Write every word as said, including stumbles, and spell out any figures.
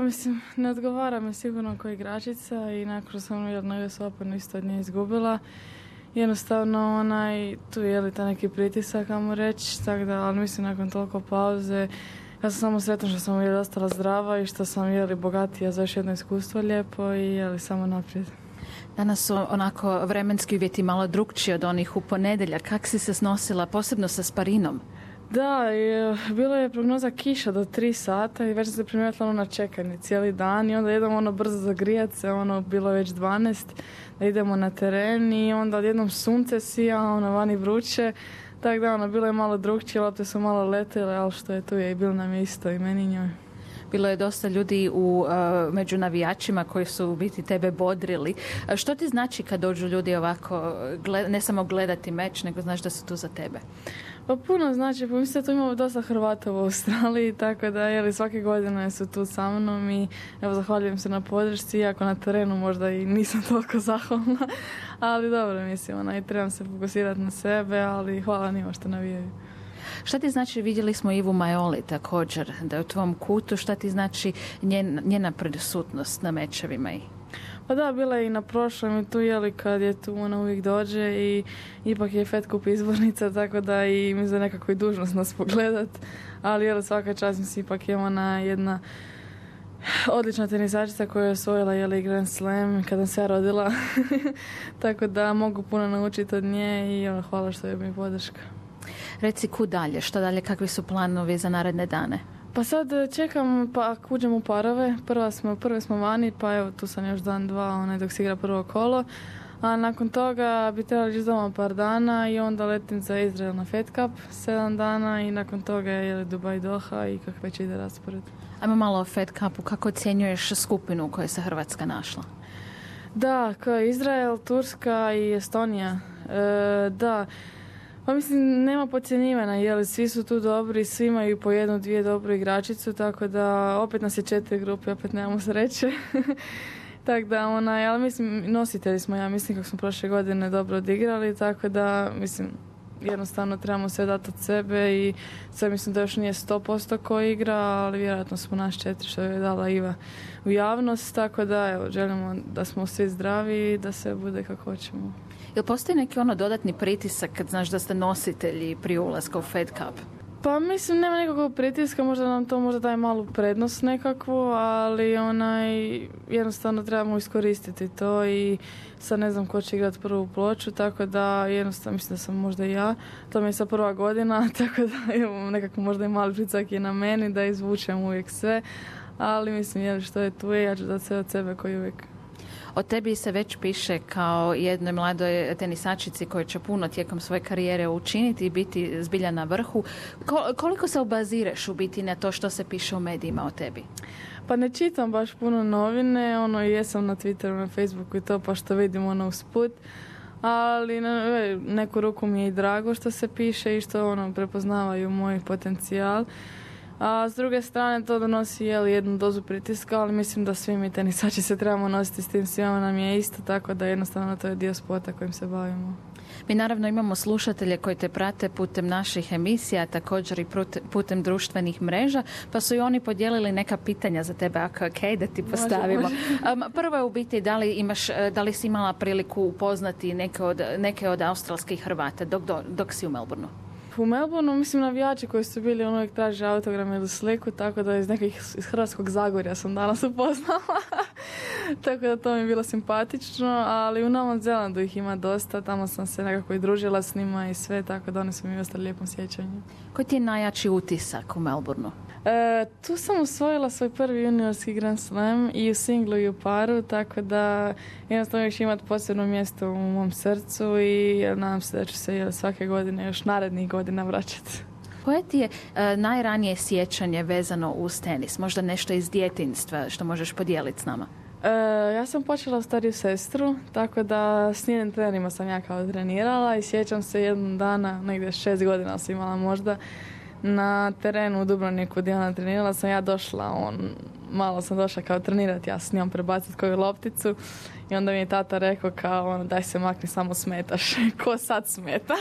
mislim, ne odgovara mi sigurno kao igračica i nakon što sam jedno U S Open isto od nje izgubila. Jednostavno, onaj, tu je li ta neki pritisak, ajmo reći, tako da, ali mislim, nakon toliko pauze, ja sam samo sretna što sam je ostala zdrava i što sam je li bogatija za još jedno iskustvo lijepo i je li samo naprijed. Danas su onako vremenski uvjeti malo drukčiji od onih u ponedjeljak. Kako si se snosila, posebno sa sparinom? Da, je, bilo je prognoza kiša do tri sata i već sam se primijetila ono na čekanje cijeli dan i onda idemo ono brzo zagrijat se, ono bilo već dvanaest, da idemo na teren i onda odjednom sunce sija, ono vani vruće, tako da ono bilo je malo drukčije, lopte su malo letele, ali što je tu je i bilo nam je isto i meni njoj. Bilo je dosta ljudi u, uh, među navijačima koji su u biti tebe bodrili. A što ti znači kad dođu ljudi ovako, gled, ne samo gledati meč, nego znaš da su tu za tebe? Pa puno znači, pa mislim da tu imamo dosta Hrvata u Australiji, tako da jeli, svake godine su tu sa mnom i evo zahvaljujem se na podršci, iako na terenu možda i nisam toliko zahvalna, ali dobro mislim, ona, i trebam se fokusirati na sebe, ali hvala njima što navijaju. Šta ti znači, vidjeli smo Ivu Majoli također, da je u tvom kutu, šta ti znači njen, njena prisutnost na mečevima? I Pa da, bila je i na prošlom i tu jeli kad je tu ona uvijek dođe i ipak je Fed Cup izbornica, tako da i mi za nekako i dužnost nas pogledat, ali jeli svaka čast mislim ipak je ona jedna odlična tenisačica koja je osvojila jeli Grand Slam kada se ja rodila, tako da mogu puno naučiti od nje i ono, hvala što je mi podrška. Reci kud dalje, što dalje, kakvi su planovi za naredne dane? Pa sad čekam pa ako uđem u parove, prva smo, prve smo vani, pa evo tu sam još dan, dva, onaj, dok se igra prvo kolo, a nakon toga bi trebali ići doma par dana i onda letim za Izrael na Fed Cup, sedam dana i nakon toga je Dubai Doha i kako već ide raspored. Ajmo malo o Fed Cupu, kako ocjenjuješ skupinu u kojoj se Hrvatska našla? Da, kao Izrael, Turska i Estonija, e, da. Pa mislim, nema podcjenjivanja, jer svi su tu dobri, svi imaju po jednu, dvije dobru igračicu, tako da opet nas je četiri grupe, opet nemamo sreće. Tako da, onaj, ali mislim, nositelji smo, ja mislim, kako smo prošle godine dobro odigrali, tako da, mislim, jednostavno trebamo sve dati od sebe i sve mislim da još nije sto posto ko igra, ali vjerojatno smo naš četiri što je dala Iva u javnost, tako da, evo, želimo da smo svi zdravi i da sve bude kako hoćemo. Jel postoji neki ono dodatni pritisak kad znaš da ste nositelji prije ulaska u Fed Cup? Pa mislim, nema nekakvog pritiska, možda nam to možda daje malu prednost nekakvu, ali onaj, jednostavno trebamo iskoristiti to i sad ne znam ko će igrati prvu ploču, tako da jednostavno mislim da sam možda i ja, to mi je sad prva godina, tako da imam nekako možda i mali pritisak je na meni da izvučem uvijek sve, ali mislim, jel što je tu je, ja ću dati sve od sebe koji uvijek. O tebi se već piše kao jednoj mladoj tenisačici koja će puno tijekom svoje karijere učiniti i biti zbilja na vrhu. Ko, koliko se obazireš u biti na to što se piše u medijima o tebi? Pa ne čitam baš puno novine, ono jesam na Twitteru, na Facebooku i to pa što vidim ono usput, ali na neku ruku mi je i drago što se piše i što ono prepoznavaju moj potencijal. A s druge strane to donosi jeli, jednu dozu pritiska, ali mislim da svi mi tenisači se trebamo nositi s tim, svima nam je isto, tako da jednostavno to je dio sporta kojim se bavimo. Mi naravno imamo slušatelje koji te prate putem naših emisija, također i putem društvenih mreža, pa su i oni podijelili neka pitanja za tebe, ako je okej, da ti postavimo. Može, može. Um, prvo je u biti da li, imaš, da li si imala priliku upoznati neke od, neke od australskih Hrvata dok, dok si u Melbourneu? U Melbourneu, mislim, navijači koji su bili, on uvijek traže autogram ili sliku, tako da iz nekih iz Hrvatskog Zagorja sam danas upoznala. Tako da to mi je bilo simpatično, ali u Novom Zelandu ih ima dosta, tamo sam se nekako i družila s njima i sve, tako da oni su mi ostali lijepom sjećanju. Koji ti je najjači utisak u Melbourneu? E, tu sam osvojila svoj prvi juniorski Grand Slam i u singlu i u paru, tako da jednostavno još imati posebno mjesto u mom srcu i nadam se da ću se svake godine još narednih godina vraćati. Koje ti je e, najranije sjećanje vezano uz tenis? Možda nešto iz djetinjstva što možeš podijeliti s nama? E, ja sam počela stariju sestru, tako da s njenim trenerima sam ja kao trenirala i sjećam se jednog dana, negdje šest godina sam imala možda, na terenu u Dubrovniku gdje ona trenirala sam ja došla, on, malo sam došla kao trenirati, ja s njom prebaciti koju lopticu i onda mi je tata rekao kao ono, daj se makni, samo smetaš. Ko sad smeta?